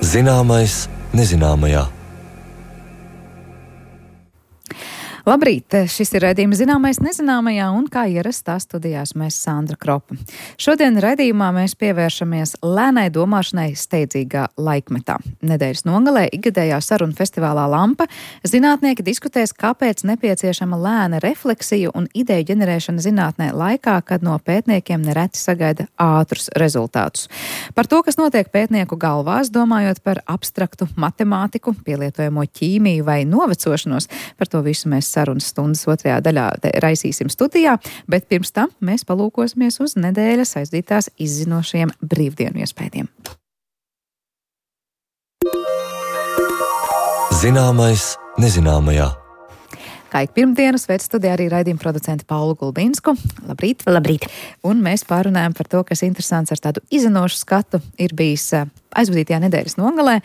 Zināmais nezināmajā. Labrīt! Šis ir raidījums Zināmais nezināmajā, un kā ierasts tā studijās mēs Sandra Kropa. Šodien raidījumā mēs pievēršamies lēnai domāšanai steidzīgā laikmetā. Nedēļas nogalē ikgadējā sarunu festivālā Lampa zinātnieki diskutēs, kāpēc nepieciešama lēna refleksija un ideju ģenerēšana zinātnē laikā, kad no pētniekiem nereti sagaida ātrus rezultātus. Par to, kas notiek pētnieku galvās, domājot par abstraktu matemātiku, pielietojamo ķīmiju vai novecošanos, par to visu mēs sarunas stundas otrajā daļā raisīsim studijā, bet pirms tam mēs palūkosimies uz nedēļas aizdītās izzinošajiem brīvdienu iespējiem. Zināmais nezināmajā. Kā ik pirmdienu sveic studijā arī raidījuma producenti Paulu Gulbinsku. Labrīt! Labrīt! Un mēs pārunājam par to, kas interesants ar tādu izzinošu skatu ir bijis aizvadītajā nedēļas nogalē.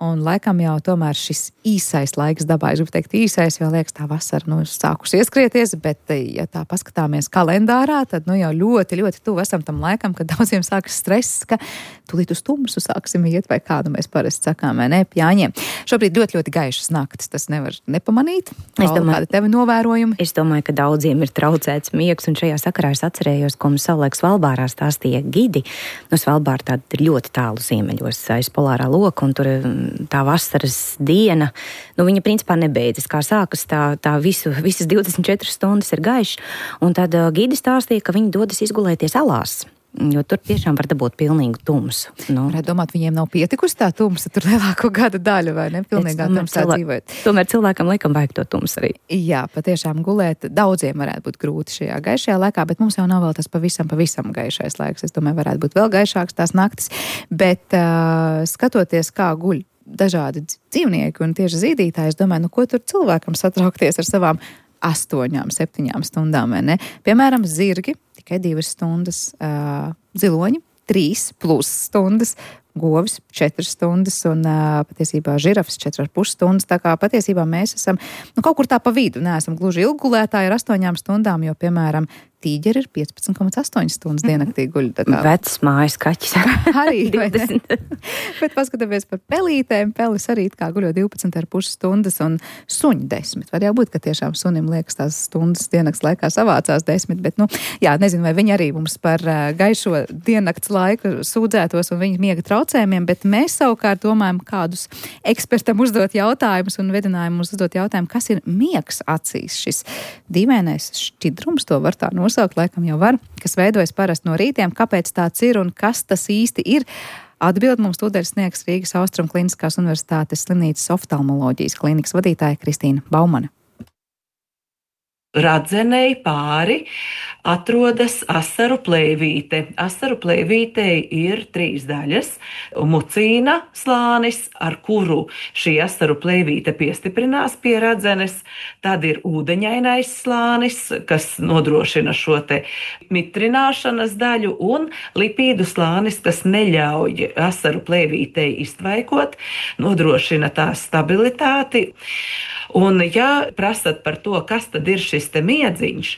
Un laikam jau tomēr šis īsais laiks dabā, es gribu teikt īsais, jo liekas tā vasara sākusi ieskrieties, bet ja tā paskatāmies kalendārā, tad jau ļoti, ļoti tuvu esam tam laikam, kad daudziem sākas stress, ka tūlīt uz tumsu sāksim iet, vai kādu mēs parasti sakām, vai ne, pjāņiem. Šobrīd ļoti, ļoti gaišas naktis, tas nevar nepamanīt. Kādi tevi novērojumi? Es domāju, ka daudziem ir traucēts miegs, un šajā sakarā es atcerējos, ko mums savulaik Svalbārā stāstīja gidi. Svalbāra tāda ir ļoti tālu ziemeļos aiz polārā loka, un tur tā vasaras diena, viņa principā nebeidzas. Kā sākas, tā visas 24 stundas ir gaišs, un tad gidi stāstīja, ka viņi dodas izgulēties alās, jo tur tiešām var dabūt pilnīgu tumsu. Varētu domāt, viņiem nav pietikusi tā tumsa tur lielāko gada daļu, vai ne? Pilnīgā tumsā dzīvot. Tomēr cilvēkam laikam vajag to tumsu arī. Jā, patiešām gulēt daudziem varētu būt grūti šajā gaišajā laikā, bet mums jau nav vēl tas pavisam gaišais laiks. Es domāju, varētu būt vēl gaišāks tās naktis, bet skatoties, kā guļ dažādi dzīvnieki un tieši zīdītāji, es domāju, ko tur cilvēkam satraukties ar savām 8, 7 stundām, vai ne? Piemēram, zirgi tikai 2 stundas, ziloņi 3+ stundas, govis 4 stundas un patiesībā žirafs 4,5 stundas. Tā kā patiesībā mēs esam kaut kur tā pa vidu, neesam gluži ilggulētāji ar 8 stundām, jo, piemēram, tīģeri ir 15,8 stundas diennaktī guļ. Vecs mājas kaķis. Arī, vai ne? Bet paskatāmies par pelītēm. Pelis arī kā guļo 12,5 stundas un suņi 10. Var jau būt, ka tiešām sunim liekas tās stundas diennakts laikā savācās 10, bet, nezinu, vai viņi arī mums par gaišo diennakts laiku sūdzētos un viņu miega traucējumiem, bet mēs savukārt domājam, kādus ekspertam uzdot jautājumus un vedinājumu uzdot jautājumu, kas ir miegs acīs, šis dīvainais šķidrums, to var tā nosaukt, laikam jau var, kas veidojas parasti no rītiem, kāpēc tāds ir un kas tas īsti ir. Atbild mums tūdaļ sniegs Rīgas Austrum Kliniskās Universitātes slimnīcas oftalmoloģijas klīnikas vadītāja Kristīna Baumane. Radzenei pāri atrodas asaru plēvīte. Asaru plēvītei ir 3 daļas. Mucīna slānis, ar kuru šī asaru plēvīte piestiprinās pie radzenes. Tad ir ūdeņainais slānis, kas nodrošina šo te mitrināšanas daļu, un lipīdu slānis, kas neļauj asaru plēvītei iztvaikot, nodrošina tās stabilitāti. Un, ja prasat par to, kas tad ir šis te miedziņš,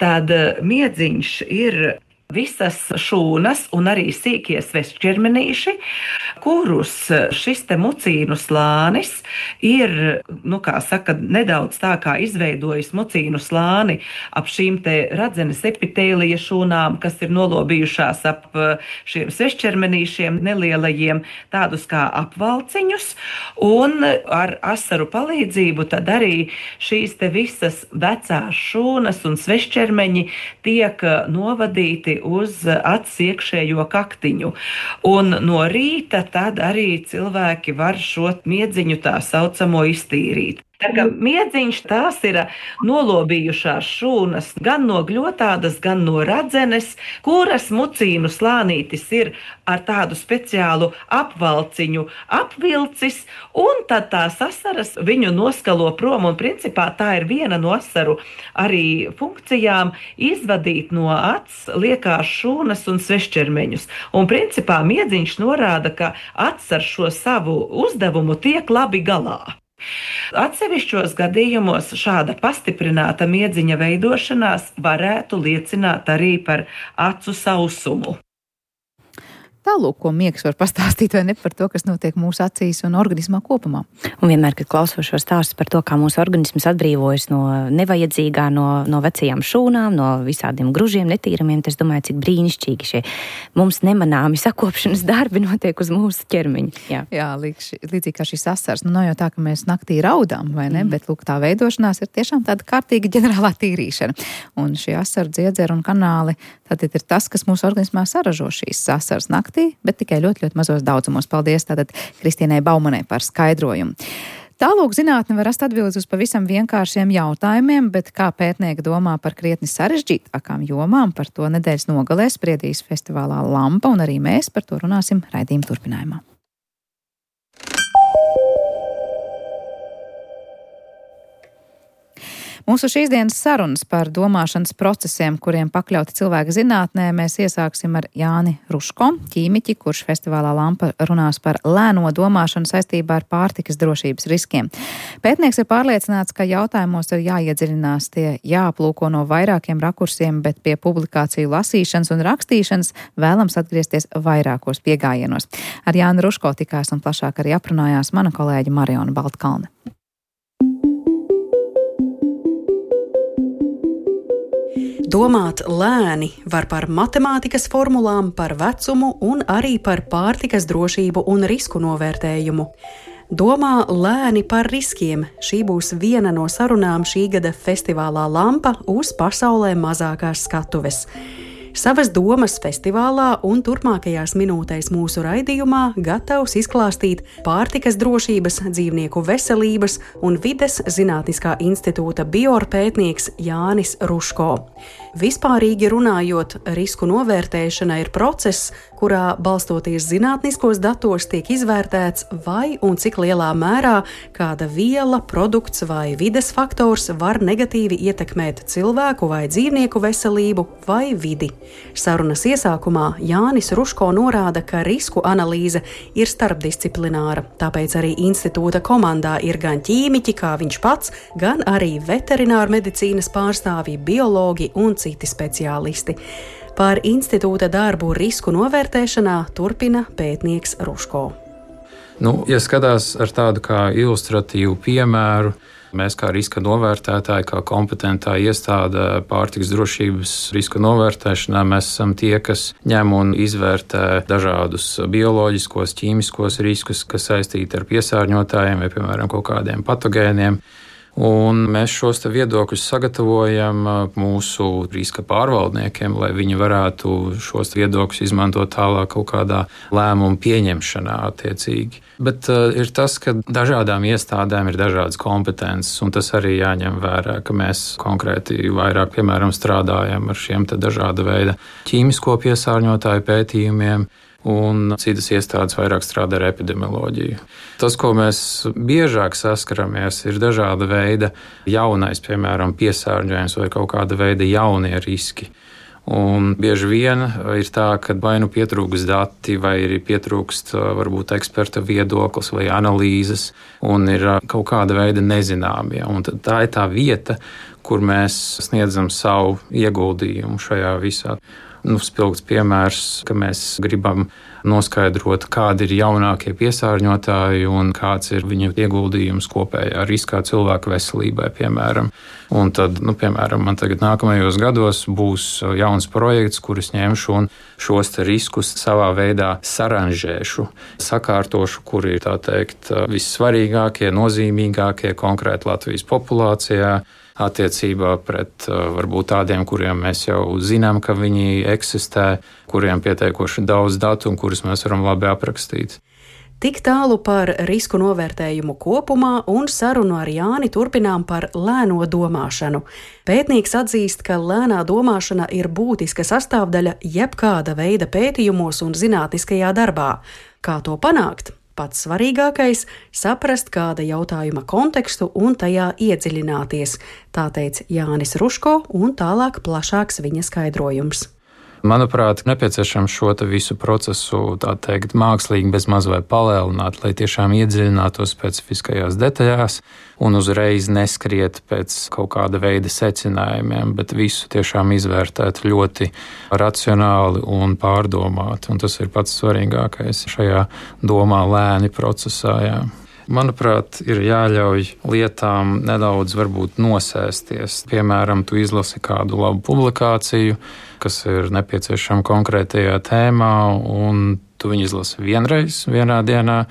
tad miedziņš ir visas šūnas un arī sīkie svešķermenīši, kurus šis te mucīnu slānis ir, nedaudz tā kā izveidojis mucīnu slāni ap šīm te radzenes epitēlija šūnām, kas ir nolobījušās ap šiem svešķermenīšiem nelielajiem, tādus kā apvalciņus, un ar asaru palīdzību tad arī šīs te visas vecās šūnas un svešķermeņi tiek novadīti uz acs iekšējo kaktiņu. Un no rīta tad arī cilvēki var šo miedziņu tā saucamo iztīrīt. Tā kā miedziņš tās ir nolobījušās šūnas gan no gļotādas, gan no radzenes, kuras mucīnu slānītis ir ar tādu speciālu apvalciņu apvilcis, un tad tās asaras viņu noskalo prom, un principā tā ir viena no asaru arī funkcijām izvadīt no acs liekās šūnas un svešķermeņus. Un principā miedziņš norāda, ka acs ar šo savu uzdevumu tiek labi galā. Atsevišķos gadījumos šāda pastiprināta miedziņa veidošanās varētu liecināt arī par acu sausumu. Tālūk, ko miegs var pastāstīt vai ne par to, kas notiek mūsu acīs un organismā kopumā. Un vienmēr, kad klausos šo stāstu par to, kā mūsu organisms atbrīvojas no nevajadzīgā, no vecajām šūnām, no visādiem gružiem, netīramiem, tas domāju, cik brīnišķīgi šie mums nemanāmi sakopšanas darbi notiek uz mūsu ķermeņa. Jā, līdzīgi kā šis asars. Nav jau tā, ka mēs naktī raudām, vai ne, bet lūk, tā veidošanās ir tiešām tāda kārtīga ģenerālā tīrīšana. Un šie asaru dziedzeri un kanāli, tad ir tas, kas mūsu organismā saražo šīs asaras naktī, bet tikai ļoti, ļoti mazos daudzumos. Paldies tātad Kristīnai Baumanai par skaidrojumu. Tālūk, zinātne var rast atbildes uz pavisam vienkāršiem jautājumiem, bet kā pētnieki domā par krietni sarežģītākām jomām, par to nedēļas nogalē spriedīs festivālā Lampa, un arī mēs par to runāsim raidījuma turpinājumā. Mūsu šīs dienas sarunas par domāšanas procesiem, kuriem pakļauti cilvēka zinātnē, mēs iesāksim ar Jāni Ruško, ķīmiķi, kurš festivālā Lampa runās par lēno domāšanu saistībā ar pārtikas drošības riskiem. Pētnieks ir pārliecināts, ka jautājumos ir jāiedziļinās, tie jāaplūko no vairākiem rakursiem, bet pie publikāciju lasīšanas un rakstīšanas vēlams atgriezties vairākos piegājienos. Ar Jāni Ruško tikās un plašāk arī aprunājās mana kolēģe Mariona Baltkalne. Domāt lēni var par matemātikas formulām, par vecumu un arī par pārtikas drošību un risku novērtējumu. Domā lēni par riskiem. Šī būs viena no sarunām šī gada festivālā Lampa uz pasaulē mazākās skatuves. Savas domas festivālā un turpmākajās minūtēs mūsu raidījumā gatavs izklāstīt pārtikas drošības, dzīvnieku veselības un vides zinātniskā institūta biorpētnieks Jānis Ruško. Vispārīgi runājot, risku novērtēšana ir process, kurā balstoties zinātniskos datos tiek izvērtēts, vai un cik lielā mērā kāda viela, produkts vai vides faktors var negatīvi ietekmēt cilvēku vai dzīvnieku veselību vai vidi. Sarunas iesākumā Jānis Ruško norāda, ka risku analīze ir starpdisciplināra, tāpēc arī institūta komandā ir gan ķīmiķi, kā viņš pats, gan arī veterinārmedicīnas pārstāvji, biologi un citi speciālisti. Par institūta darbu risku novērtēšanā turpina pētnieks Ruško. Ja skatās ar tādu kā ilustratīvu piemēru, mēs kā riska novērtētāji, kā kompetentā iestāde pārtikas drošības riska novērtēšanā, mēs esam tie, kas ņem un izvērtē dažādus bioloģiskos, ķīmiskos riskus, kas saistīti ar piesārņotājiem vai, piemēram, kaut kādiem patogēniem. Un mēs šos viedokļus sagatavojam mūsu riska pārvaldniekiem, lai viņi varētu šos viedokļus izmantot tālāk kaut kādā lēmumu pieņemšanā attiecīgi. Bet ir tas, ka dažādām iestādēm ir dažādas kompetences, un tas arī jāņem vērā, ka mēs konkrēti vairāk, piemēram, strādājam ar šiem dažāda veida ķīmisko piesārņotāju pētījumiem, un citas iestādes vairāk strādā ar epidemioloģiju. Tas, ko mēs biežāk saskaramies, ir dažāda veida jaunais, piemēram, piesārņojums vai kaut kāda veida jaunie riski. Un bieži vien ir tā, ka vai nu pietrūkst dati, vai arī pietrūkst varbūt eksperta viedoklis vai analīzes, un ir kaut kāda veida nezināmie. Un tā ir tā vieta, kur mēs sniedzam savu ieguldījumu šajā visā. Spilgts piemērs, ka mēs gribam noskaidrot, kādi ir jaunākie piesārņotāji un kāds ir viņu ieguldījums kopējā riskā cilvēka veselībai, piemēram. Un tad, piemēram, man tagad nākamajos gados būs jauns projekts, kurus ņemšu un šos riskus savā veidā saranžēšu, sakārtošu, kuri ir, tā teikt, vissvarīgākie, nozīmīgākie konkrēti Latvijas populācijā, attiecībā pret varbūt tādiem, kuriem mēs jau zinām, ka viņi eksistē, kuriem pietiekoši daudz datu un kurus mēs varam labi aprakstīt. Tik tālu par risku novērtējumu kopumā un sarunu ar Jāni turpinām par lēno domāšanu. Pētnieks atzīst, ka lēnā domāšana ir būtiska sastāvdaļa jebkāda veida pētījumos un zinātniskajā darbā. Kā to panākt? Pats svarīgākais – saprast kāda jautājuma kontekstu un tajā iedziļināties, tā teica Jānis Ruško, un tālāk plašāks viņa skaidrojums. Manuprāt, nepieciešams šo visu procesu, tā teikt, mākslīgi bez maz vai palēlināt, lai tiešām iedziļinātos specifiskajās detaļās un uzreiz neskriet pēc kaut kāda veida secinājumiem, bet visu tiešām izvērtēt ļoti racionāli un pārdomāti. Un tas ir pats svarīgākais šajā domā lēni procesā. Jā. Manuprāt, ir jāļauj lietām nedaudz varbūt nosēsties. Piemēram, tu izlasi kādu labu publikāciju, kas ir nepieciešama konkrētajā tēmā, un tu viņu izlasi vienreiz, vienā dienā,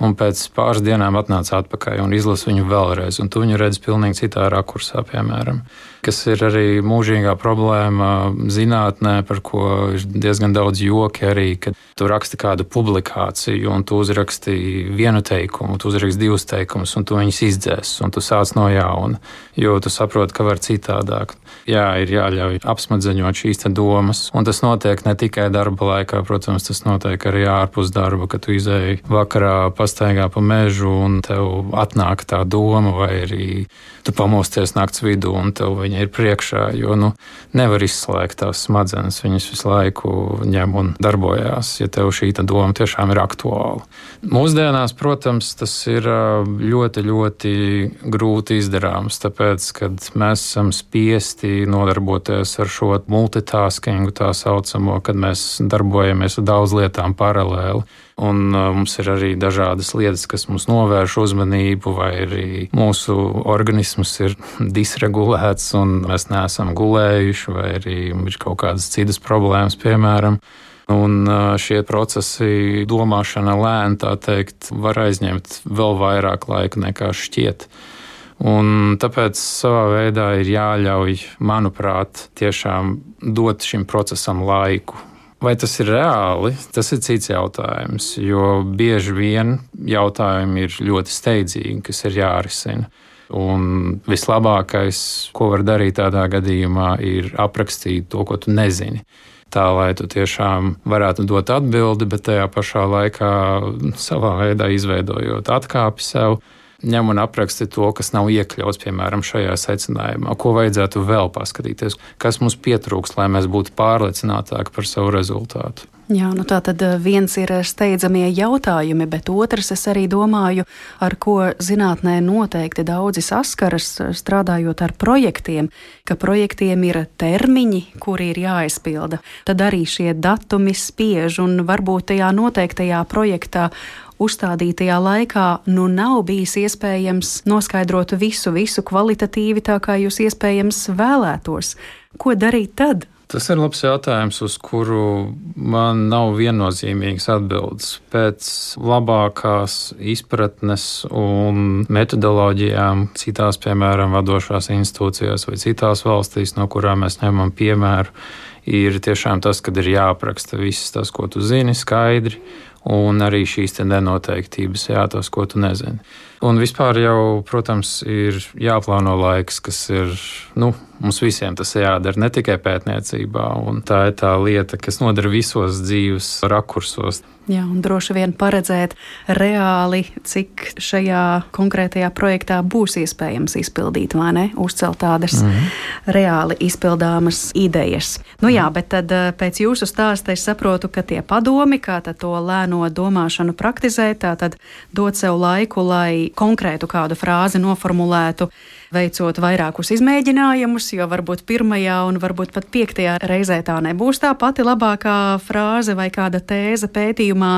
un pēc pāris dienām atnāc atpakaļ un izlasi viņu vēlreiz, un tu viņu redzi pilnīgi citā rakursā, piemēram. Kas ir arī mūžīgā problēma zinātnē, par ko ir diezgan daudz joki arī, kad tu raksti kādu publikāciju un tu uzraksti vienu teikumu, tu uzraksti divus teikumus un tu viņus izdzēs un tu sāc no jauna, jo tu saproti, ka var citādāk. Jā, ir jāļauj apsmadzeņot šīs te domas, un tas notiek ne tikai darba laikā, protams, tas notiek arī ārpus darba, kad tu izēji vakarā pastaigā pa mežu un tev atnāk tā doma, vai arī tu pamosties nakts vidū un tev viņa ir priekšā, jo nevar izslēgt tās smadzenes, viņas visu laiku ņem un darbojās, ja tev šī doma tiešām ir aktuāla. Mūsdienās, protams, tas ir ļoti, ļoti grūti izdarāms, tāpēc, kad mēs esam spiesti nodarboties ar šo multitaskingu tā saucamo, kad mēs darbojamies ar daudz lietām paralēli. Un mums ir arī dažādas lietas, kas mums novērš uzmanību, vai arī mūsu organisms ir disregulēts un mēs neesam gulējuši, vai arī ir kaut kādas citas problēmas, piemēram. Un šie procesi, domāšana lēni, tā teikt, var aizņemt vēl vairāk laika nekā šķiet. Un tāpēc savā veidā ir jāļauj, manuprāt, tiešām dot šim procesam laiku. Vai tas ir reāli? Tas ir cits jautājums, jo bieži vien jautājumi ir ļoti steidzīgi, kas ir jārisina. Un vislabākais, ko var darīt tādā gadījumā, ir aprakstīt to, ko tu nezini. Tā, lai tu tiešām varētu dot atbildi, bet tajā pašā laikā savā veidā izveidojot atkāpi sev, ņem un apraksti to, kas nav iekļauts, piemēram, šajā secinājumā, ko vajadzētu vēl paskatīties, kas mums pietrūkst, lai mēs būtu pārliecinātāki par savu rezultātu. Jā, tā tad viens ir steidzamie jautājumi, bet otrs, es arī domāju, ar ko zinātnē noteikti daudzi saskaras, strādājot ar projektiem, ka projektiem ir termiņi, kuri ir jāizpilda. Tad arī šie datumi spiež un varbūt tajā noteiktajā projektā uzstādītajā laikā nav bijis iespējams noskaidrot visu kvalitatīvi tā, kā jūs iespējams vēlētos. Ko darīt tad? Tas ir labs jautājums, uz kuru man nav viennozīmīgas atbildes. Pēc labākās izpratnes un metodoloģijām citās, piemēram, vadošās institūcijās vai citās valstīs, no kurām mēs ņemam piemēru, ir tiešām tas, kad ir jāapraksta viss tas, ko tu zini, skaidri, un arī šīs nenoteiktības, tas, ko tu nezini. Un vispār jau, protams, ir jāplāno laiks, kas ir, mums visiem tas jādara, ne tikai pētniecībā, un tā ir tā lieta, kas nodara visos dzīves rakursos. Jā, un droši vien paredzēt reāli, cik šajā konkrētajā projektā būs iespējams izpildīt, vai ne? Uzcelt tādas reāli izpildāmas idejas. Jā, bet tad pēc jūsu stāsta es saprotu, ka tie padomi, kā tad to lēno domāšanu praktizēt, tātad dot sev laiku, lai konkrētu kādu frāzi noformulētu, veicot vairākus izmēģinājumus, jo varbūt pirmajā un varbūt pat 5. reizē tā nebūs tā pati labākā frāze vai kāda tēze pētījumā.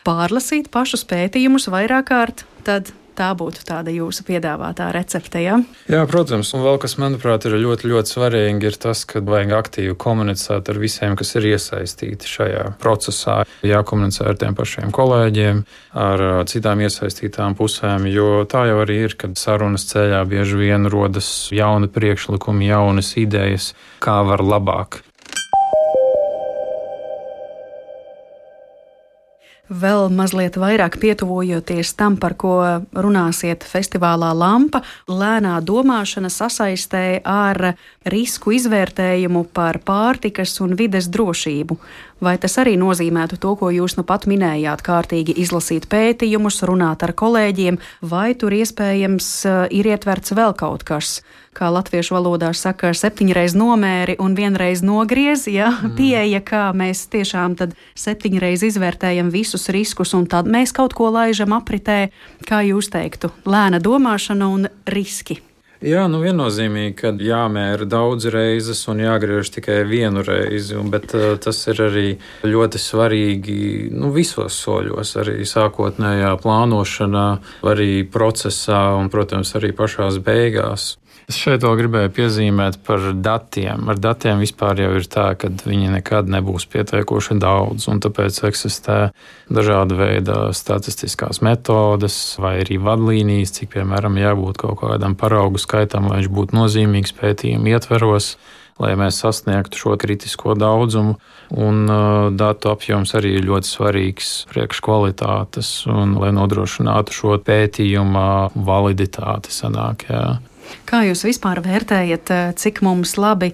Pārlasīt pašus pētījumus vairāk kārt, tad tā būtu tāda jūsu piedāvātā recepte, ja? Jā, protams, un vēl kas, manuprāt, ir ļoti, ļoti svarīgi, ir tas, ka vajag aktīvi komunicēt ar visiem, kas ir iesaistīti šajā procesā. Jākomunicē ar tiem pašiem kolēģiem, ar citām iesaistītām pusēm, jo tā jau arī ir, kad sarunas ceļā bieži vien rodas jauni priekšlikumi, jaunas idejas, kā var labāk. Vēl mazliet vairāk pietuvojoties tam, par ko runāsiet festivālā Lampa, lēnā domāšana sasaistē ar risku izvērtējumu par pārtikas un vides drošību. Vai tas arī nozīmētu to, ko jūs nu pat minējāt, kārtīgi izlasīt pētījumus, runāt ar kolēģiem, vai tur iespējams ir ietverts vēl kaut kas? Kā latviešu valodā saka, 7 reiz nomēri un 1 reiz nogriez, ja? Pieeja, kā mēs tiešām tad 7 reiz izvērtējam visus riskus un tad mēs kaut ko laižam apritē, kā jūs teiktu, lēna domāšana un riski. Jā, viennozīmīgi, ka jāmēra daudz reizes un jāgriež tikai 1 reizi, bet tas ir arī ļoti svarīgi visos soļos, arī sākotnējā plānošanā, arī procesā un, protams, arī pašās beigās. Es šeit vēl gribēju piezīmēt par datiem. Ar datiem vispār jau ir tā, ka viņi nekad nebūs pietiekoši daudz, un tāpēc eksistē dažāda veida statistiskās metodes vai arī vadlīnijas, cik, piemēram, jābūt kaut kādam paraugu skaitam, lai viņš būtu nozīmīgs pētījumu ietveros, lai mēs sasniegtu šo kritisko daudzumu, un datu apjoms arī ir ļoti svarīgs priekš kvalitātes, un lai nodrošinātu šo pētījuma validitāti sanāk, jā. Kā jūs vispār vērtējat, cik mums labi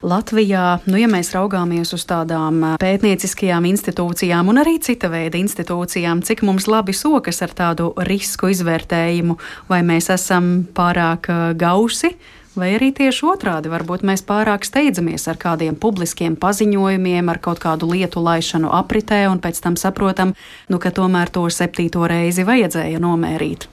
Latvijā, ja mēs raugāmies uz tādām pētnieciskajām institūcijām un arī cita veida institūcijām, cik mums labi sokas ar tādu risku izvērtējumu, vai mēs esam pārāk gausi? Vai arī tieši otrādi, varbūt mēs pārāk steidzamies ar kādiem publiskiem paziņojumiem, ar kaut kādu lietu laišanu apritē un pēc tam saprotam, ka tomēr to 7. reizi vajadzēja nomērīt.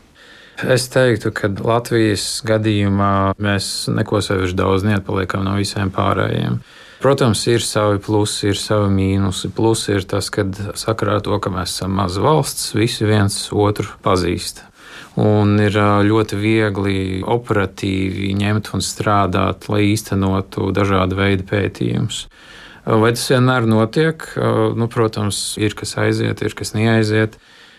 Es teiktu, ka Latvijas gadījumā mēs neko sevišķi daudz neatpaliekam no visiem pārējiem. Protams, ir savi plusi, ir savi mīnusi. Plusi ir tas, ka sakarā ar to, ka mēs esam maza valsts, visi viens otru pazīst. Un ir ļoti viegli operatīvi ņemt un strādāt, lai īstenotu dažādu veidu pētījumus. Vai tas vienmēr notiek? Protams, ir kas aiziet, ir kas neaiziet.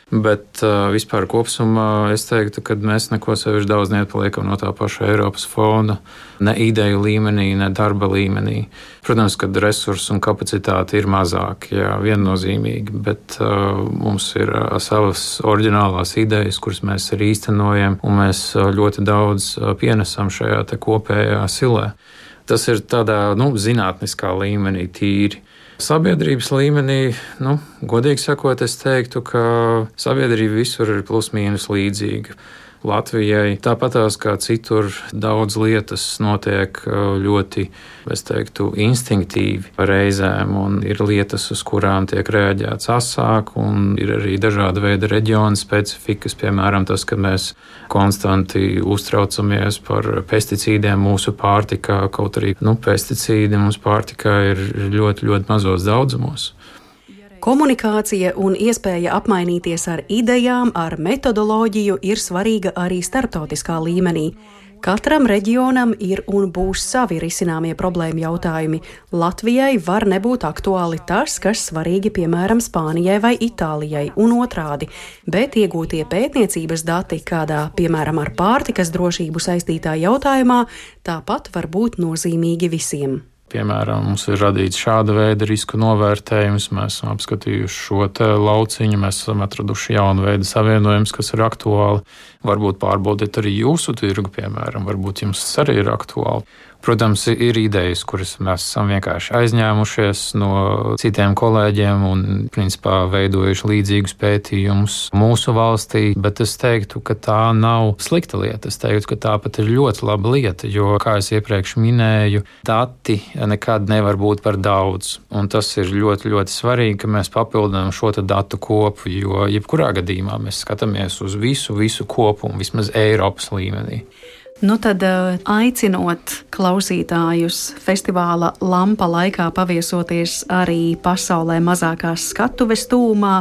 Bet vispār kopumā es teiktu, ka mēs neko sevišķi daudz neatpaliekam no tā paša Eiropas fonda, ne ideju līmenī, ne darba līmenī. Protams, ka resursi un kapacitāte ir mazāki, jā, viennozīmīgi, bet mums ir savas oriģinālās idejas, kuras mēs arī īstenojam, un mēs ļoti daudz pienesam šajā te kopējā silē. Tas ir tādā zinātniskā līmenī tīri. Sabiedrības līmenī, godīgi sakot, es teiktu, ka sabiedrība visur ir plus mīnus līdzīga. Latvijai tāpatās kā citur daudz lietas notiek ļoti, es teiktu, instinktīvi reizēm, un ir lietas, uz kurām tiek reaģēts asāk, un ir arī dažāda veida reģiona specifikas, piemēram, tas, ka mēs konstanti uztraucamies par pesticīdiem mūsu pārtikā, kaut arī pesticīdi mūsu pārtikā ir ļoti, ļoti mazos daudzumos. Komunikācija un iespēja apmainīties ar idejām, ar metodoloģiju ir svarīga arī starptautiskā līmenī. Katram reģionam ir un būs savi risināmie problēmu jautājumi. Latvijai var nebūt aktuāli tas, kas svarīgi piemēram Spānijai vai Itālijai un otrādi, bet iegūtie pētniecības dati kādā, piemēram, ar pārtikas drošību saistītā jautājumā, tāpat var būt nozīmīgi visiem. Piemēram, mums ir radīts šāda veida risku novērtējums, mēs esam apskatījuši šo te lauciņu, mēs esam atraduši jaunu veidu savienojumus, kas ir aktuāli. Varbūt pārbaudiet arī jūsu tirgu, piemēram, varbūt jums tas arī ir aktuāli. Protams, ir idejas, kuras mēs esam vienkārši aizņēmušies no citiem kolēģiem un, principā, veidojuši līdzīgus pētījumus mūsu valstī, bet es teiktu, ka tā nav slikta lieta. Es teiktu, ka tā pat ir ļoti laba lieta, jo, kā es iepriekš minēju, dati nekad nevar būt par daudz. Un tas ir ļoti, ļoti svarīgi, ka mēs papildinām šo datu kopu, jo jebkurā gadījumā mēs skatāmies uz visu kopumu, vismaz Eiropas līmenī. Tad aicinot klausītājus festivāla Lampa laikā paviesoties arī pasaulē mazākās skatuves tūmā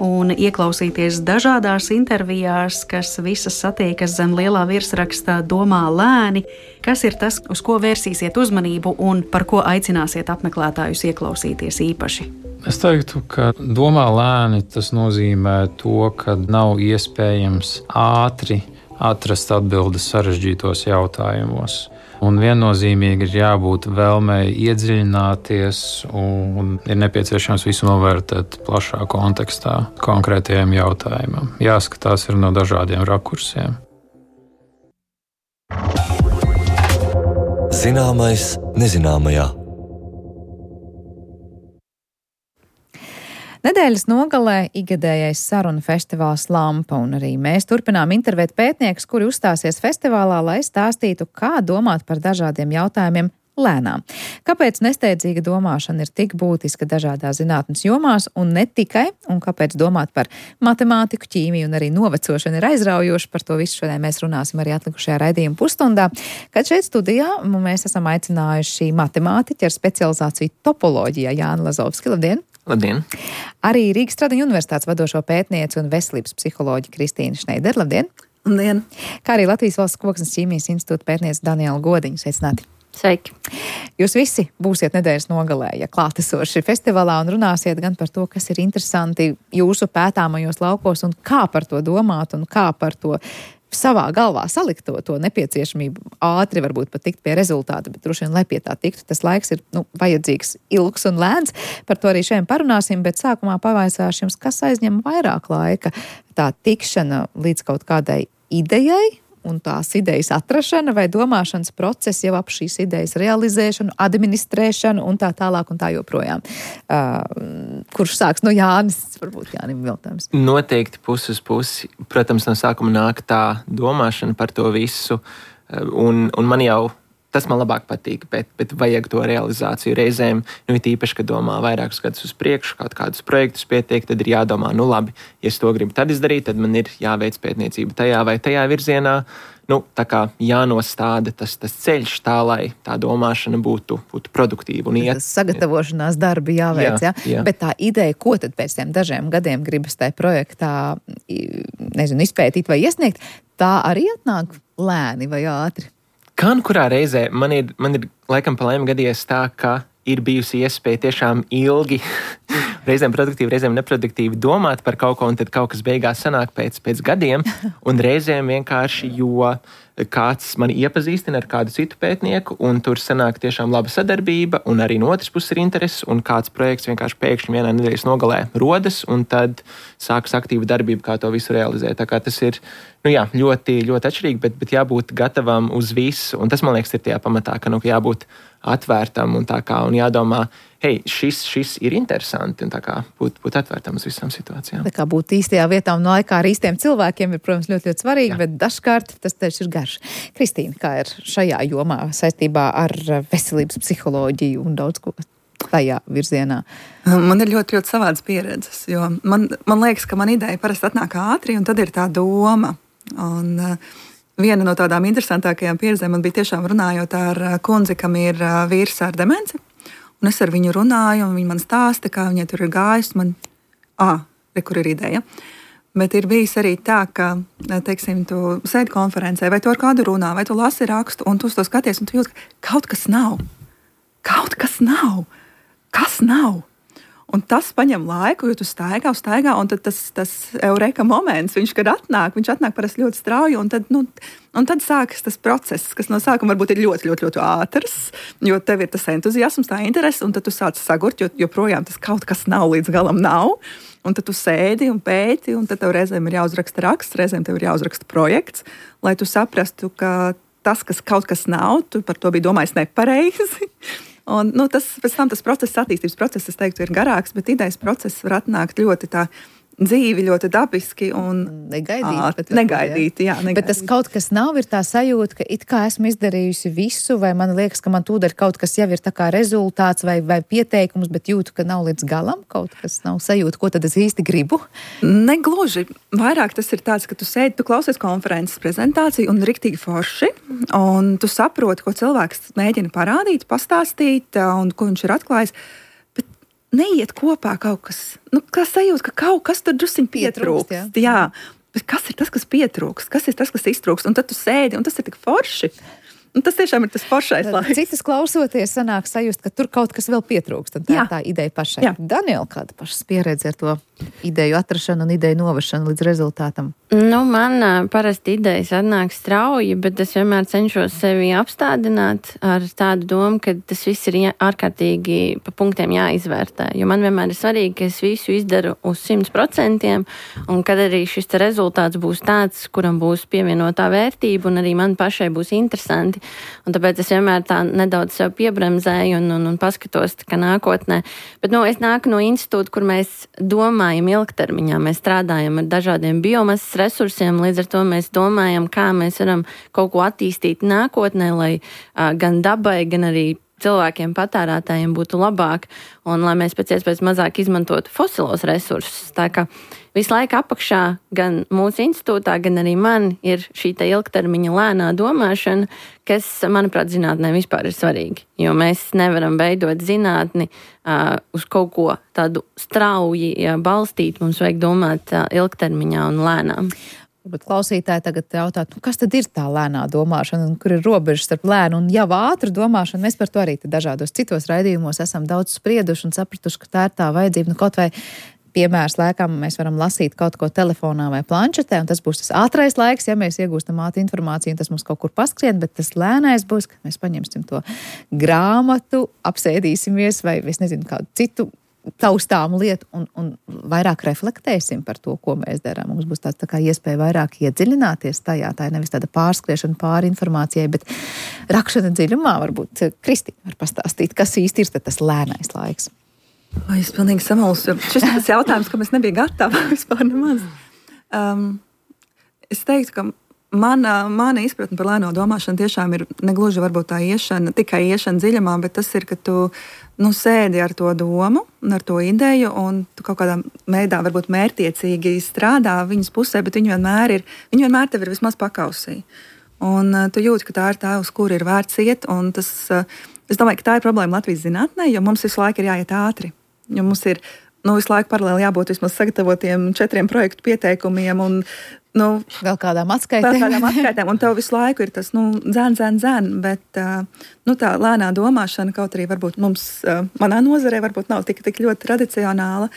un ieklausīties dažādās intervijās, kas visas satiekas zem lielā virsrakstā Domā lēni, kas ir tas, uz ko vērsīsiet uzmanību un par ko aicināsiet apmeklētājus ieklausīties īpaši? Es teiktu, ka domā lēni tas nozīmē to, ka nav iespējams ātri atrast atbildes sarežģītos jautājumos. Un viennozīmīgi ir jābūt vēlmei iedziļināties un ir nepieciešams visu novērtēt plašā kontekstā konkrētajiem jautājumam. Jāskatās ir no dažādiem rakursiem. Zināmais nezināmajā. Nedēļas nogalē ikgadējais sarunu festivāls Lampa, un arī mēs turpinām intervēt pētniekus, kuri uzstāsies festivālā, lai stāstītu, kā domāt par dažādiem jautājumiem lēnām. Kāpēc nesteidzīga domāšana ir tik būtiska dažādās zinātnes jomās un ne tikai, un kāpēc domāt par matemātiku, ķīmiju un arī novecošanu ir aizraujoši. Par to visu šodien mēs runāsim arī atlikušajā raidījuma pusstundā, kad šeit studijā mēs esam aicinājuši matemātiķi ar specializāciju topoloģijā Jāni Lazovski. Labdien! Labdien! Arī Rīgas Stradiņu universitātes vadošo pētnieci un veselības psiholoģi Kristīna Šneidere. Labdien! Labdien! Kā arī Latvijas Valsts Koksnes ķīmijas institūta pētniece Daniela Godiņa. Sveicināti! Sveiki! Jūs visi būsiet nedēļas nogalē, ja klātesoši festivālā un runāsiet gan par to, kas ir interesanti jūsu pētāmajos laukos un kā par to domāt un kā par to savā galvā salikt to nepieciešamību ātri varbūt pat tikt pie rezultāta, bet droši vien, lai pie tā tiktu, tas laiks ir vajadzīgs ilgs un lēns. Par to arī šodien parunāsim, bet sākumā pavaicāšu jums, kas aizņem vairāk laika, tā tikšana līdz kaut kādai idejai un tās idejas atrašana vai domāšanas process jau ap šīs idejas realizēšanu, administrēšanu un tā tālāk un tā joprojām. Kurš sāks? No Jānis, varbūt Jānim jautājums. Noteikti pusi uz pusi. Protams, no sākuma nāk tā domāšana par to visu, un man jau tas man labāk patīk, bet vajag to realizāciju reizēm. It īpaši, kad domā vairākus gadus uz priekšu, kaut kādus projektus pietiek, tad ir jādomā, labi, ja es to gribu tad izdarīt, tad man ir jāveic pētniecība tajā vai tajā virzienā. Tā kā jānostāda tas ceļš tā, lai tā domāšana būtu produktīva un iet. Sagatavošanās darbi jāveic, jā. Bet tā ideja, ko tad pēc tiem dažiem gadiem gribas tajā projektā, izpētīt vai iesniegt, tā arī atnāk lēni vai ātri? Kā un kurā reizē man ir laikam pa laimi gadījies tā, ka ir bijusi iespēja tiešām ilgi, reizēm produktīvi, reizēm neproduktīvi domāt par kaut ko, un tad kaut kas beigās sanāk pēc gadiem, un reizēm vienkārši, jo kāds mani iepazīstina ar kādu citu pētnieku, un tur sanāk tiešām laba sadarbība, un arī no otras puses ir interesi, un kāds projekts vienkārši pēkšņi vienā nedēļas nogalē rodas, un tad sākas aktīva darbība, kā to visu realizēt. Tā kā tas ir ļoti, ļoti atšķirīgi, bet jābūt gatavam uz visu, un tas, man liekas, ir tajā pamatā, ka jābūt atvērtam un jādomā, hei, šis ir interesanti, un būt atvērtam uz visām situācijām. Tā kā būt īstajā vietā un laikā ar īstiem cilvēkiem ir, protams, ļoti, ļoti svarīgi, bet dažkārt tas taču ir garš. Kristīna, kā ir šajā jomā saistībā ar veselības psiholoģiju un daudz ko tajā virzienā? Man ir ļoti, ļoti savādas pieredzes, jo man liekas, ka man ideja parasti atnāk ātri, un tad ir tā doma. Un viena no tādām interesantākajām pieredzēm man bija tiešām runājot ar kundzi, kam ir vīrs ar demenci. Un es ar viņu runāju, un viņa man stāsta, kā viņai tur ir gājis. Kur ir ideja. Bet ir bijis arī tā, ka, teiksim, tu sēdi konferencē, vai tu ar kādu runā, vai tu lasi rakstu, un tu uz to skaties, un tu jūti, ka kaut kas nav. Kaut kas nav. Kas nav? Un tas paņem laiku, jo tu staigā, un tad tas eureka moments, viņš atnāk parasti ļoti strauji, un tad sākas tas process, kas no sākuma varbūt ir ļoti, ļoti, ļoti ātrs, jo tev ir tas entuziasms, tā interese, un tad tu sāc sagurt, jo joprojām tas kaut kas nav, līdz galam nav, un tad tu sēdi un pēti, un tad tev reizēm ir jāuzraksta raksts, reizēm tev ir jāuzraksta projekts, lai tu saprastu, ka tas, kas kaut kas nav, tu par to biji domājis nepareizi. Un, pēc tam tas process, attīstības process, es teiktu, ir garāks, bet idejas process var atnākt ļoti tā dzīvi, ļoti dabiski un negaidīti. Bet tas kaut kas nav, ir tā sajūta, ka it kā esmu izdarījusi visu, vai man liekas, ka man tūdaļ kaut kas jau ir tā kā rezultāts vai pieteikums, bet jūtu, ka nav līdz galam, kaut kas nav sajūta, ko tad es īsti gribu? Negluži. Vairāk tas ir tāds, ka tu sēdi, tu klausies konferences prezentāciju un riktīgi forši, un tu saproti, ko cilvēks mēģina parādīt, pastāstīt, un ko viņš ir atklājis. Neiet kopā kaut kas, kā sajūta, ka kaut kas tur drusciņ pietrūkst. Jā, bet kas ir tas, kas pietrūkst? Kas ir tas, kas iztrūkst? Un tad tu sēdi, un tas ir tik forši. Un tas tiešām ir tas foršais laiks. Citas klausoties, sanāk sajust, ka tur kaut kas vēl pietrūkst, un tā ir tā ideja pašai. Jā. Daniela, kāda pašas pieredze ar to ideju atrašanu un ideju novešanu līdz rezultātam? Man parasti idejas atnāk strauji, bet es vienmēr cenšos sevi apstādināt ar tādu domu, ka tas viss ir ārkārtīgi pa punktiem jāizvērtē. Jo man vienmēr ir svarīgi, ka es visu izdaru uz 100%, un kad arī šis rezultāts būs tāds, kuram būs pievienotā vērtība, un arī man pašai būs interesanti. Un tāpēc es vienmēr tā nedaudz sev piebremzēju un paskatos kā nākotnē. Bet es nāku no institūta, kur mēs domājam ilgtermiņā. Mēs strādājam ar dažādiem biomasas resursiem, līdz ar to mēs domājam, kā mēs varam kaut ko attīstīt nākotnē, lai gan dabai, gan arī cilvēkiem, patērētājiem būtu labāk, un lai mēs pēc iespējas mazāk izmantotu fosilos resursus. Tā kā visu laiku apakšā gan mūsu institūtā, gan arī man ir šī ilgtermiņa lēnā domāšana, kas, manuprāt, zinātnē vispār ir svarīgi. Jo mēs nevaram veidot zinātni uz kaut ko tādu strauji balstīt, mums vajag domāt ilgtermiņā un lēnām. Bet klausītāji tagad jautā, kas tad ir tā lēnā domāšana, un kur ir robežas starp lēnu un jau ātru domāšanu? Mēs par to arī dažādos citos raidījumos esam daudz sprieduši un sapratuši, ka tā ir tā vajadzība. Kaut vai piemērs laikam mēs varam lasīt kaut ko telefonā vai planšetē, un tas būs tas ātrais laiks, ja mēs iegūstam ātru informāciju, un tas mums kaut kur paskrien, bet tas lēnais būs, ka mēs paņemsim to grāmatu, apsēdīsimies vai, es nezinu, kādu citu taustāmu lietu un vairāk reflektēsim par to, ko mēs darām. Mums būs tā kā iespēja vairāk iedziļināties tajā. Tā ir nevis tāda pārskriešana pāri informācijai, bet rakšana dziļumā. Varbūt Kristīna var pastāstīt, kas īsti ir tas lēnais laiks. Es pilnīgi samalsu. Šis ir tas jautājums, kam es nebiju gatava vispār nemaz. Es teiktu, ka mana izpratne par lēno domāšanu tiešām ir negluži varbūt tā tikai iešana dziļumā, bet tas ir, ka tu sēdi ar to domu un ar to ideju, un tu kaut kādā veidā varbūt mērtiecīgi strādā viņas pusē, bet viņi vienmēr tev ir vismaz pakausī. Un tu jūti, ka tā ir tā, uz kuru ir vērts iet, un tas, es domāju, ka tā ir problēma Latvijas zinātnē, jo mums visu laiku ir jāiet ātri. Jo mums ir visu laiku paralēli jābūt vismaz sagatavotiem 4 projektu pieteikumiem un vēl kādām atskaitēm. Un tev visu laiku ir tas, dzēn, bet tā lēnā domāšana, kaut arī varbūt mums, manā nozarē, varbūt nav tik ļoti tradicionāla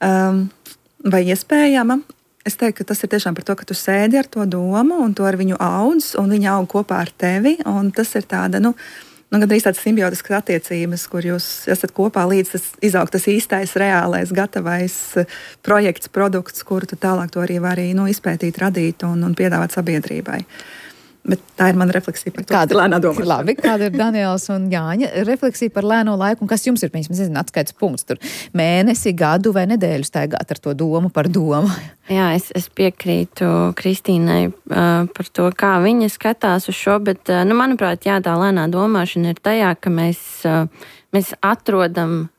vai iespējama. Es teiktu, ka tas ir tiešām par to, ka tu sēdi ar to domu un to ar viņu audz, un viņa aug kopā ar tevi, un tas ir tāda, gandrīz tādas simbiotiskas attiecības, kur jūs esat kopā līdz tas izaug tas īstais, reālais, gatavais projekts, produkts, kuru tu tālāk to arī vari izpētīt, radīt un piedāvāt sabiedrībai. Bet tā ir mana refleksija par to, kāda ir lēnā domāšana. Labi, kāda ir Daniels un Jāņa refleksija par lēno laiku, un kas jums ir, atskaites punkts tur mēnesi, gadu vai nedēļu staigāt ar to domu par domu? Jā, es piekrītu Kristīnai par to, kā viņa skatās uz šo, bet, manuprāt, tā lēnā domāšana ir tajā, ka mēs atrodam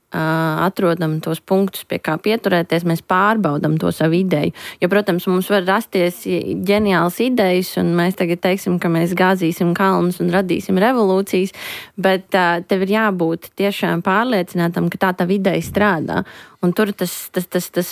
tos punktus, pie kā pieturēties, mēs pārbaudam to savu ideju. Jo, protams, mums var rasties ģeniāls idejas, un mēs tagad teiksim, ka mēs gāzīsim kalnus un radīsim revolūcijas, bet tev ir jābūt tiešām pārliecinātam, ka tā ideja strādā. Un tur tas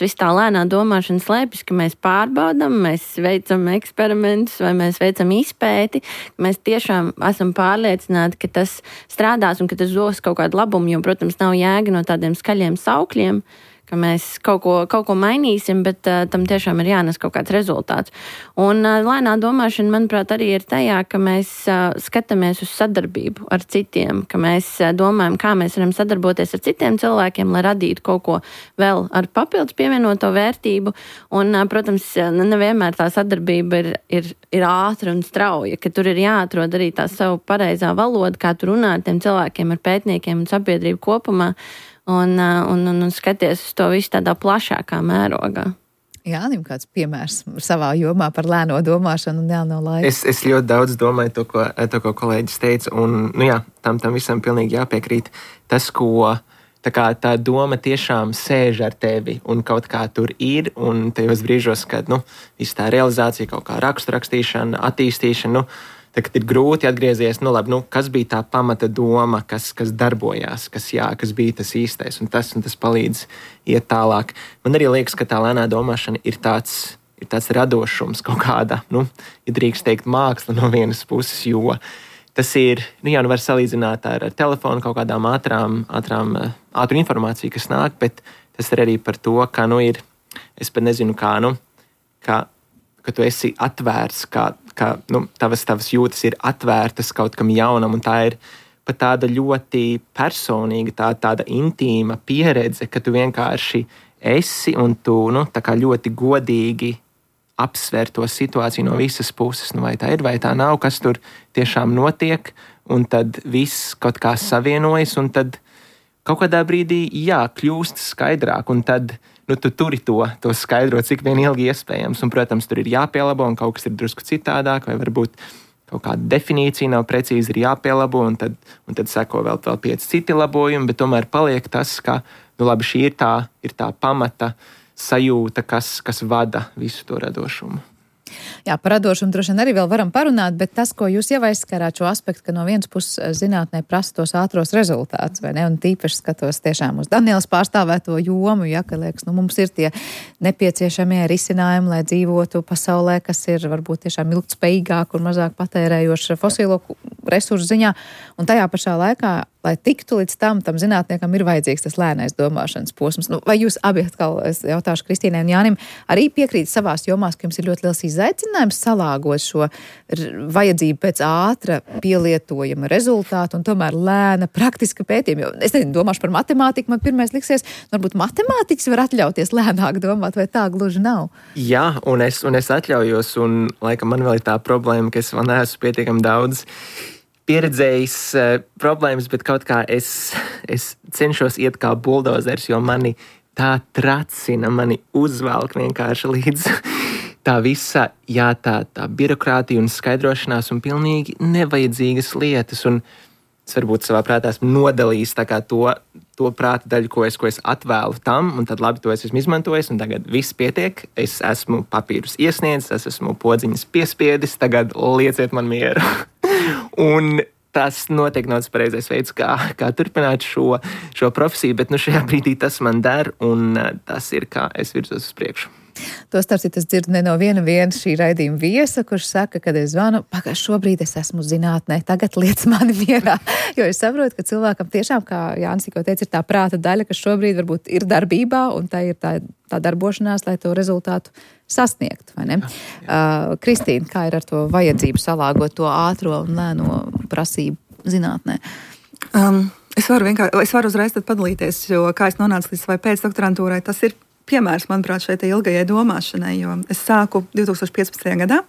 viss tā lēnā domāšana slēpjas, ka mēs pārbaudam, mēs veicam eksperimentus vai mēs veicam izpēti, ka mēs tiešām esam pārliecināti, ka tas strādās un ka tas dos kaut kādu labumu, jo, protams, nav jēga no tādiem skaļiem saukļiem, ka mēs kaut ko mainīsim, bet tam tiešām ir jānes kaut kāds rezultāts. Un lēnā domāšana, manuprāt, arī ir tajā, ka mēs skatāmies uz sadarbību ar citiem, ka mēs domājam, kā mēs varam sadarboties ar citiem cilvēkiem, lai radītu kaut ko vēl ar papildus pievienoto vērtību. Un, protams, nevienmēr tā sadarbība ir ātra un strauja, ka tur ir jāatrod arī tā savu pareizā valoda, kā tu runā ar tiem cilvēkiem, ar pētniekiem un sabiedrību kopumā. Un skaties uz to visu tādā plašākā mērogā. Jānim, kāds piemērs savā jomā par lēno domāšanu un lēno laiku? Es ļoti daudz domāju to, ko kolēģis teica, un tam visam pilnīgi jāpiekrīt. Tas, ko tā doma tiešām sēž ar tevi un kaut kā tur ir, un tajos brīžos, kad viss tā realizācija, kaut kā rakstīšana, attīstīšana, tad ir grūti atgriezties, kas bija tā pamata doma, kas darbojās, kas bija tas īstais, un tas palīdz iet tālāk. Man arī liekas, ka tā lēnā domāšana ir tāds radošums kaut kāda, ja drīkst teikt māksla no vienas puses, jo tas ir, var salīdzināt ar telefonu kaut kādām ātru informāciju, kas nāk, bet tas ir arī par to, ka, ir es pat nezinu, kā, ka tu esi atvērts, ka tavas jūtas ir atvērtas kaut kam jaunam, un tā ir pat tāda ļoti personīga, tāda intīma pieredze, ka tu vienkārši esi un tu tā kā ļoti godīgi apsver to situāciju no visas puses, vai tā ir, vai tā nav, kas tur tiešām notiek, un tad viss kaut kā savienojas, un tad kaut kādā brīdī, kļūst skaidrāk, un tad tu turi to skaidrot, cik vien ilgi iespējams, un, protams, tur ir jāpielabo, un kaut kas ir drusku citādāk, vai varbūt kaut kāda definīcija nav precīzi, ir jāpielabo, un tad seko vēl 5 citi labojumi, bet tomēr paliek tas, ka, labi, šī ir tā pamata sajūta, kas vada visu to radošumu. Jā, par radošumu droši vien arī vēl varam parunāt, bet tas, ko jūs jau aizskarāt šo aspektu, ka no vienas puses zinātnē prasa tos ātros rezultātus, vai ne? Un tīpaši skatos tiešām uz Danielas pārstāvēto jomu, ka liekas, mums ir tie nepieciešamie risinājumi, lai dzīvotu pasaulē, kas ir varbūt tiešām ilgtspējīgāk un mazāk patērējoši fosilo resursu ziņā. Un tajā pašā laikā, lai tiktu līdz tam zinātniekam ir vajadzīgs tas lēnais domāšanas posms. Vai jūs abi, atkal es jautāšu Kristīnai un Jānim, arī piekrīt savās jomās, ka jums ir ļoti liels izaicinājums salāgot šo vajadzību pēc ātra pielietojama rezultātu un tomēr lēna praktiska pētījuma? Jo es domāšu par matemātiku, man pirmais liksies, varbūt matemātiķis var atļauties lēnāk domāt, vai tā gluži nav? Jā, un es atļaujos, un laikam man vēl ir tā problēma, ka es vēl neesmu pietiekami daudz pieredzējis problēmas, bet kaut kā es cenšos iet kā buldozers, jo mani tā tracina, mani uzvelk vienkārši līdz tā visa, tā birokrātija un skaidrošanās un pilnīgi nevajadzīgas lietas. Un es varbūt savā prātā esmu nodalījis tā kā to prāta daļu, ko es atvēlu tam, un tad labi, to es esmu izmantojis, un tagad viss pietiek. Es esmu papīrus iesniedzis, es esmu podziņas piespiedis, tagad lieciet man mieru. Un tas noteikti nav tas pareizais veids, kā turpināt šo profesiju, bet šajā brīdī tas man der, un tas ir, kā es virzos uz priekšu. To starp citu es dzirdu ne no viena šī raidījuma viesa, kurš saka, kad es zvanu, šobrīd es esmu zinātnē, tagad liec mani mierā. Jo es saprotu, ka cilvēkam tiešām, kā Jānis tikko teica, ir tā prāta daļa, kas šobrīd varbūt ir darbībā, un tā ir tā darbošanās, lai to rezultātu sasniegtu, vai ne? Kristīna, kā ir ar to vajadzību salāgot to ātro un lēno prasību zinātnē? Es varu uzreiz tad padalīties, jo kā es nonācu līdz vai pēcdoktorantūrai, tas ir piemērs, manuprāt, šeit ilgajai domāšanai, jo es sāku 2015. gadā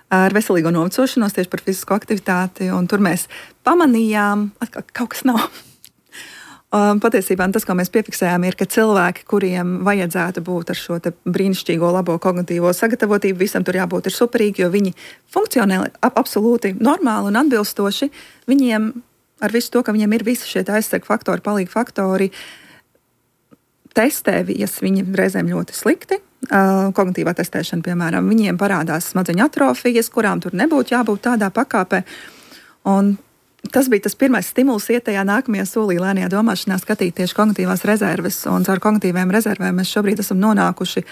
ar veselīgo novecošanos tieši par fizisko aktivitāti, un tur mēs pamanījām, ka kaut kas nav. Patiesībā tas, ko mēs piefiksējām, ir, ka cilvēki, kuriem vajadzētu būt ar šo te brīnišķīgo labo kognitīvo sagatavotību, visam tur jābūt ir superīgi, jo viņi funkcionē absolūti normāli un atbilstoši. Viņiem ar visu to, ka viņiem ir visi šie aizsargu faktori, palīgi faktori, testējas viņi reizēm ļoti slikti. Kognitīvā testēšana, piemēram, viņiem parādās smadzeņu atrofijas, kurām tur nebūtu jābūt tādā pakāpē. Un tas bija tas pirmais stimuls iet tajā nākamajā solī lēnajā domāšanā skatīt tieši kognitīvās rezerves. Un caur kognitīvām rezervēm mēs šobrīd esam nonākuši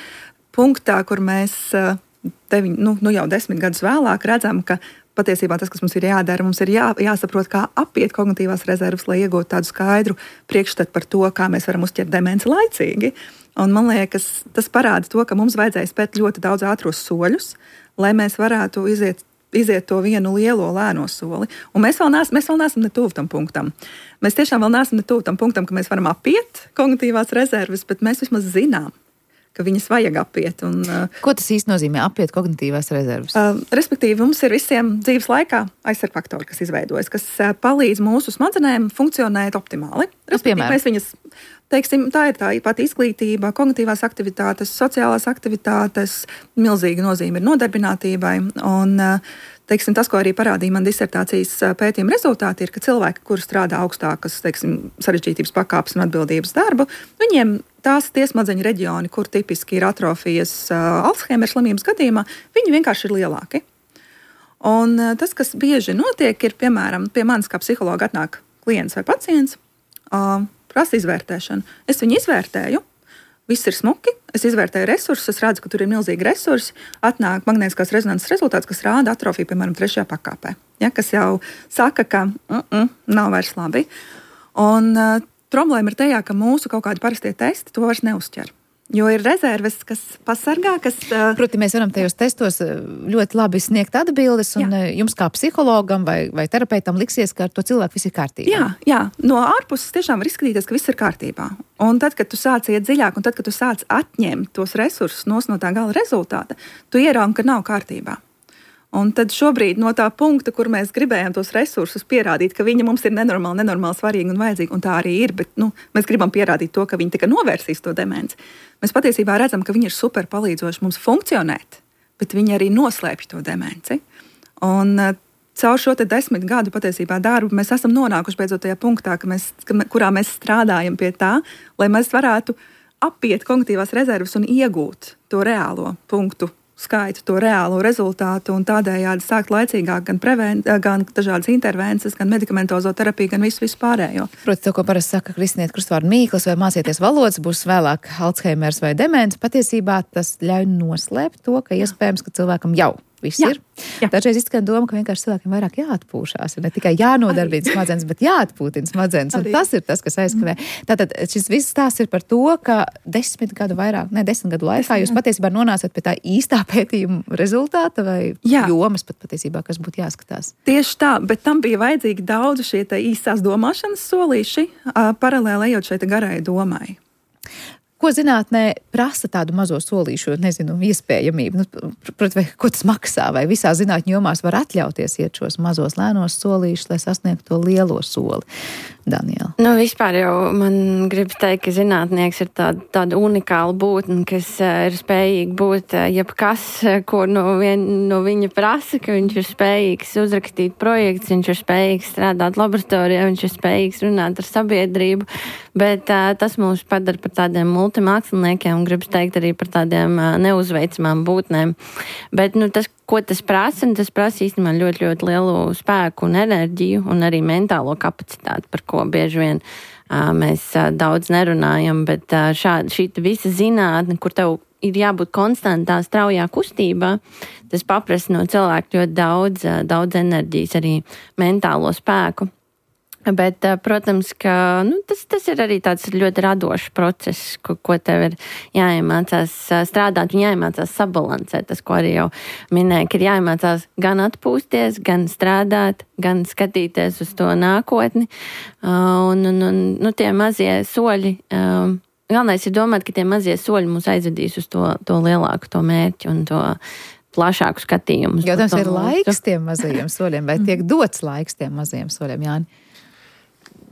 punktā, kur mēs jau 10 gadus vēlāk redzam, ka patiesībā tas, kas mums ir jādara, mums ir jāsaprot, kā apiet kognitīvās rezerves, lai iegūtu tādu skaidru priekšstatu par to, kā mēs varam uzķert demenci laicīgi. Un man liekas, tas parāda to, ka mums vajadzēja spēt ļoti daudz ātros soļus, lai mēs varētu iziet to vienu lielo lēno soli. Un mēs vēl neesam ne tuvu tam punktam. Mēs tiešām vēl neesam ne tuvu tam punktam, ka mēs varam apiet kognitīvās rezerves, bet mēs vismaz zinām, ka viņas vajag apiet. Ko tas īsti nozīmē apiet kognitīvās rezerves? Respektīvi, mums ir visiem dzīves laikā aizsargu faktori, kas izveidojas, kas palīdz mūsu smadzenēm funkcionēt optimāli. Respektīvi, mēs viņas, teiksim, tā ir tā pati izglītība, kognitīvās aktivitātes, sociālās aktivitātes, milzīga nozīme ir nodarbinātībai. Un, teiksim, tas, ko arī parādīja man disertācijas pētījuma rezultāti, ir, ka cilvēki, kuri strādā augstākas, teiksim, sarežģītības pakāpes un atbildības darbu, viņiem tie smadzeņu reģioni, kur tipiski ir atrofijas Alzheimera slimības gadījumā, viņi vienkārši ir lielāki. Un tas, kas bieži notiek, ir, piemēram, pie manis kā psihologa atnāk klients vai pacients, prasa izvērtēšanu. Es viņu izvērtēju, viss ir smuki, es izvērtēju resursus, es redzu, ka tur ir milzīgi resursi, atnāk magnētiskās rezonanses rezultāts, kas rāda atrofiju, piemēram, 3. pakāpē, kas jau saka, ka nav vairs labi. Un problēma ir tajā, ka mūsu kaut kādi parastie testi to vairs neuzķer. Jo ir rezerves, kas pasargā, kas... Proti, mēs varam tajos testos ļoti labi sniegt atbildes, un jums kā psihologam vai terapeitam liksies, ka ar to cilvēku viss ir kārtībā. Jā. No ārpuses tiešām var izskatīties, ka viss ir kārtībā. Un tad, kad tu sāc iet dziļāk, un tad, kad tu sāc atņemt tos resursus no tā gala rezultāta, tu ieraugi, ka nav kārtībā. Un tad šobrīd no tā punkta, kur mēs gribējām tos resursus pierādīt, ka viņi mums ir nenormāli svarīgi un vajadzīgi, un tā arī ir, bet mēs gribam pierādīt to, ka viņi tikai novērsīs to demenci. Mēs patiesībā redzam, ka viņi ir super palīdzoši mums funkcionēt, bet viņi arī noslēpj to demenci. Un caur šo 10 gadu patiesībā darbu mēs esam nonākuši beidzot tajā punktā, kurā mēs strādājam pie tā, lai mēs varētu apiet kognitīvās rezerves un iegūt to reālo punktu skaitu, to reālo rezultātu un tādējādi sākt laicīgāk gan dažādas intervences, gan medikamentozo terapiju, gan visu pārējo. Proti, to, ko parasti saka Kristiniete Krustvārda Mīkls, vai mācieties valodas, būs vēlāk Alzheimers vai demence, patiesībā tas ļauj noslēpt to, ka iespējams, ka cilvēkam jau viss ir. Dažreiz izskan doma, ka vienkārši cilvēkiem vairāk jāatpūšās, ne tikai jānodarbina smadzenes, bet jāatpūtina smadzenes, un tas ir tas, kas aizkavē. Tātad šis viss stāsts ir par to, ka 10 gadu laikā jūs patiesībā nonācat pie tā īstā pētījuma rezultāta vai jomas pat patiesībā, kas būtu jāskatās. Tieši tā, bet tam bija vajadzīgi daudz šie īstās domāšanas solīši, paralēli ejot šeit garai domai. Ko zinātnē prasa tādu mazo solīšu, iespējamību? Protams, ko tas maksā? Vai visā zinātņu jomās var atļauties iet šos mazos lēnos solīšus, lai sasniegtu to lielo soli? Daniela. Vispār jau man gribas teikt, ka zinātnieks ir tāda unikāla būtne, kas ir spējīga būt jebkas, ko no viņa prasa, ka viņš ir spējīgs uzrakstīt projekts, viņš ir spējīgs strādāt laboratorijā, viņš ir spējīgs runāt ar sabiedrību, bet tas mūs padara par tādiem multimāksliniekiem un gribas teikt arī par tādiem neuzveicamām būtnēm. Bet tas, ko tas prasa īstenībā ļoti, ļoti lielu spēku un enerģiju un arī mentālo kapacitāti, par ko bieži vien mēs daudz nerunājam, bet šī visa zinātne, kur tev ir jābūt konstantā, straujā kustībā, tas paprasa no cilvēka ļoti daudz enerģijas, arī mentālo spēku. Bet, protams, ka tas ir arī tāds ļoti radošs process, ko tev ir jāiemācās strādāt un jāiemācās sabalansēt. Tas, ko arī jau minēja, ka ir jāiemācās gan atpūsties, gan strādāt, gan skatīties uz to nākotni. Un tie mazie soļi, galvenais ir domāt, ka tie mazie soļi mūs aizvedīs uz to lielāku to mērķi un to plašāku skatījumu. Jo tas ir laiks tiem mazajiem soļiem, vai tiek dots laiks tiem mazajiem soļiem, Jāni?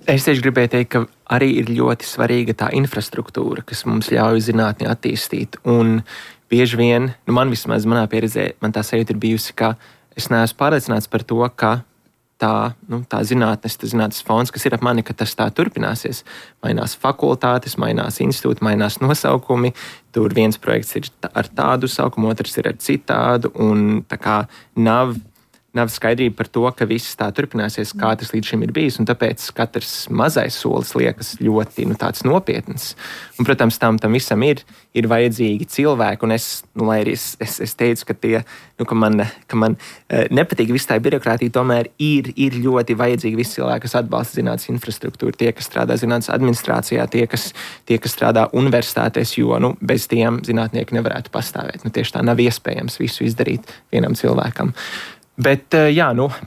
Es tieši gribēju teikt, ka arī ir ļoti svarīga tā infrastruktūra, kas mums ļauj zinātni attīstīt. Un bieži vien, man vismaz manā pieredzē, man tā sajūta ir bijusi, ka es neesmu pārliecināts par to, ka tā zinātnes fonds, kas ir ap mani, ka tas tā turpināsies. Mainās fakultātes, mainās institūti, mainās nosaukumi. Tur viens projekts ir ar tādu saukumu, otrs ir ar citādu, un tā kā nav skaidrība par to, ka viss tā turpināsies, kā tas līdz šim ir bijis, un tāpēc katrs mazais solis liekas ļoti tāds nopietns. Un, protams, tam visam ir vajadzīgi cilvēki, un lai arī es teicu, ka man nepatīk viss tā birokrātija, tomēr ir ļoti vajadzīgi visi cilvēki, kas atbalsta zinātnes infrastruktūru, tie, kas strādā zinātnes administrācijā, tie, kas strādā universitātēs, jo bez tiem zinātnieki nevarētu pastāvēt. Tieši tā nav iespējams visu izdarīt vienam cilvēkam. Bet,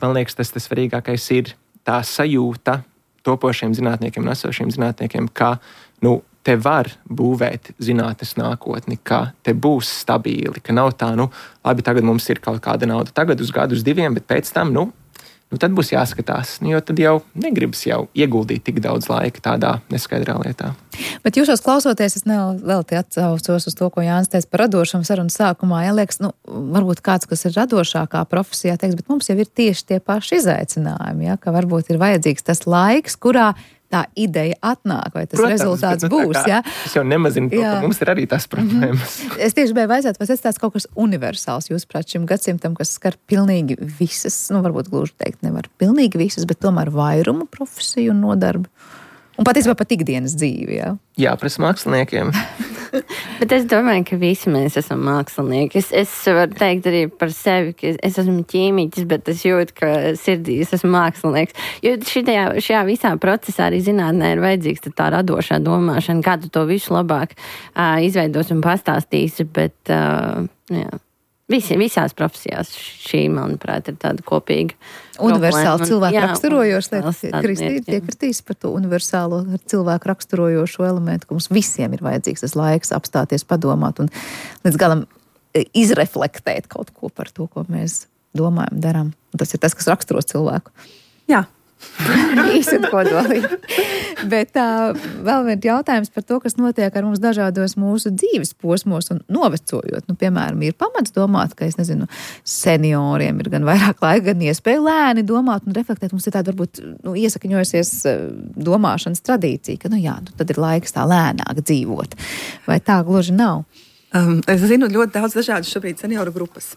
man liekas, tas svarīgākais ir tā sajūta topošiem zinātniekiem un esošiem zinātniekiem, ka, te var būvēt zinātnes nākotni, ka te būs stabili, ka nav tā, labi, tagad mums ir kaut kāda nauda, tagad uz gadu, uz 2, bet pēc tam, tad būs jāskatās, jo tad jau negribas ieguldīt tik daudz laika tādā neskaidrā lietā. Bet jūsos klausoties, es vēl te atsaucos uz to, ko Jānis teica par radošumu sarunas sākumā. Ja liekas, varbūt kāds, kas ir radošākā profesijā, teiks, bet mums jau ir tieši tie paši izaicinājumi, ja, ka varbūt ir vajadzīgs tas laiks, kurā tā ideja atnāk, vai tas rezultāts būs. Ja? Es jau nemazinu to, ka mums ir arī tās problēmas. Es tieši gribēju vaicāt, vai tas tāds kaut kas universāls, jūsuprāt, šim gadsimtam, kas skar pilnīgi visas, varbūt gluži teikt nevar pilnīgi visas, bet tomēr vairumu profesiju un nodarbi. Un patiesībā pat ikdienas dzīvi, jā? Jā, pret māksliniekiem. Bet es domāju, ka visi mēs esam mākslinieki. Es varu teikt arī par sevi, ka es esmu ķīmiķis, bet es jūtu, ka sirdī es esmu mākslinieks. Jo šajā visā procesā arī zinātnē ir vajadzīgs tā radošā domāšana, kā tu to visu labāk izveidos un pastāstīsi, bet jā. Visās profesijās šī, manuprāt, ir tāda kopīga. Universāli cilvēku raksturojoša lieta. Kristīna piekritīs par to universālo cilvēku raksturojošo elementu, ka mums visiem ir vajadzīgs tas laiks apstāties, padomāt un līdz galam izreflektēt kaut ko par to, ko mēs domājam, darām. Un tas ir tas, kas raksturos cilvēku. Jā. Īsi un kodolīgi. Bet vēl viens jautājums par to, kas notiek ar mums dažādos mūsu dzīves posmos un novecojot. Nu, piemēram, ir pamats domāt, ka, senioriem ir gan vairāk laika, gan iespēja lēni domāt un reflektēt. Mums ir tāda varbūt iesakņojusies domāšanas tradīcija, ka, tad ir laiks tā lēnāk dzīvot. Vai tā gluži nav? Es zinu ļoti daudz dažādas šobrīd senioru grupas.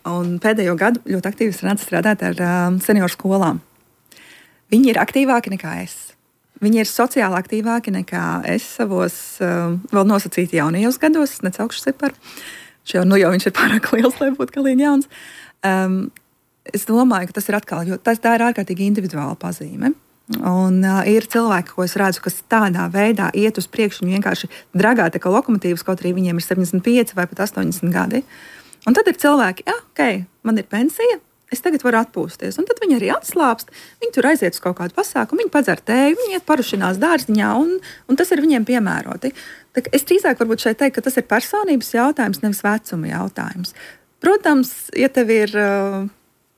Un pēdējo gadu ļoti aktīvi sanāca strādāt ar senioru skolām. Viņi ir aktīvāki nekā es. Viņi ir sociāli aktīvāki nekā es savos vēl nosacīti jaunajos gados. Es necaukšu ciparu. Jau viņš ir pārāk liels, lai būtu galīgi jauns. Es domāju, ka tas ir atkal, jo tā ir ārkārtīgi individuāla pazīme. Un ir cilvēki, ko es redzu, kas tādā veidā iet uz priekšu un vienkārši dragā tā kā lokomotīvas, kaut arī viņiem ir 75 vai pat 80 gadi. Un tad ir cilvēki, man ir pensija, es tagad varu atpūsties. Un tad viņi arī atslāpst, viņi tur aiziet uz kaut kādu pasākumu, viņi padzer tēju, viņi iet parušinās dārziņā, un tas ir viņiem piemēroti. Tā, es drīzāk varbūt šeit teiktu, ka tas ir personības jautājums, nevis vecuma jautājums. Protams, ja tev ir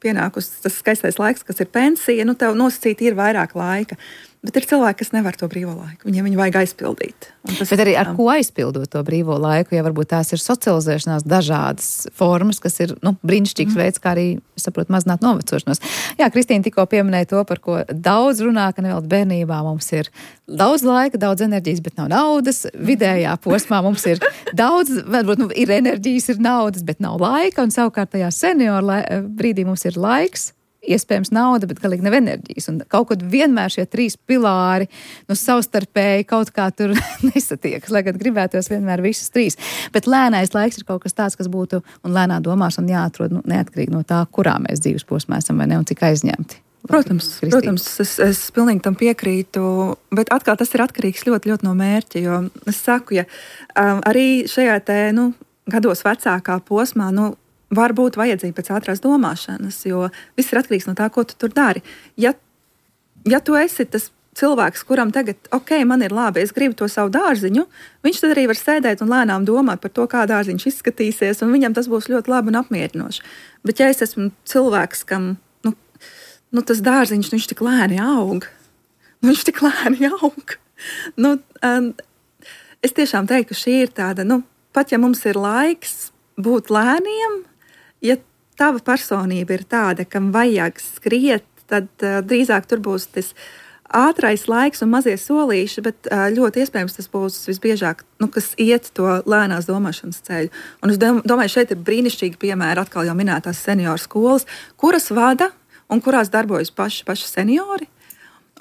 pienākusi tas skaistais laiks, kas ir pensija, tev nosacīti ir vairāk laika. Bet ir cilvēki, kas nevar to brīvo laiku. Viņiem vajag aizpildīt. Bet arī ar ko aizpildot to brīvo laiku, ja varbūt tās ir socializēšanās dažādas formas, kas ir brīnišķīgs veids, kā arī, es saprotu, mazināt novecošanos. Jā, Kristīna tikko pieminēja to, par ko daudz runā, ka nevēl bērnībā mums ir daudz laika, daudz enerģijas, bet nav naudas. Vidējā posmā mums ir daudz, varbūt ir enerģijas, ir naudas, bet nav laika. Un savukārt tajā senioru brīdī mums ir laiks, iespējams nauda, bet galīgi nav enerģijas. Un kaut kad vienmēr šie trīs pilāri savstarpēji kaut kā tur nesatiekas, lai gan gribētos vienmēr visas trīs. Bet lēnais laiks ir kaut kas tāds, kas būtu, un lēnā domāšana jāatrod neatkarīgi no tā, kurā mēs dzīves posmā esam vai ne, un cik aizņemti. Protams, es pilnīgi tam piekrītu, bet atkal tas ir atkarīgs ļoti, ļoti no mērķa, jo es saku, ja arī šajā gados vecākā posmā, var būt vajadzīga pēc ātrās domāšanas, jo viss ir atkarīgs no tā, ko tu tur dari. Ja tu esi tas cilvēks, kuram tagad, man ir labi, es gribu to savu dārziņu, viņš tad arī var sēdēt un lēnām domāt par to, kā dārziņš izskatīsies, un viņam tas būs ļoti labi un apmierinoši. Bet ja es esmu cilvēks, kam tas dārziņš, viņš tik lēni aug, es tiešām teiktu, ka šī ir tāda, pat ja mums ir laiks būt lēniem, ja tava personība ir tāda, kam vajag skriet, tad drīzāk tur būs tas ātrais laiks un mazie solīši, bet ļoti iespējams tas būs visbiežāk, kas iet to lēnās domāšanas ceļu. Un es domāju, šeit ir brīnišķīgi piemēri, atkal jau minētās senioru skolas, kuras vada un kurās darbojas paši seniori.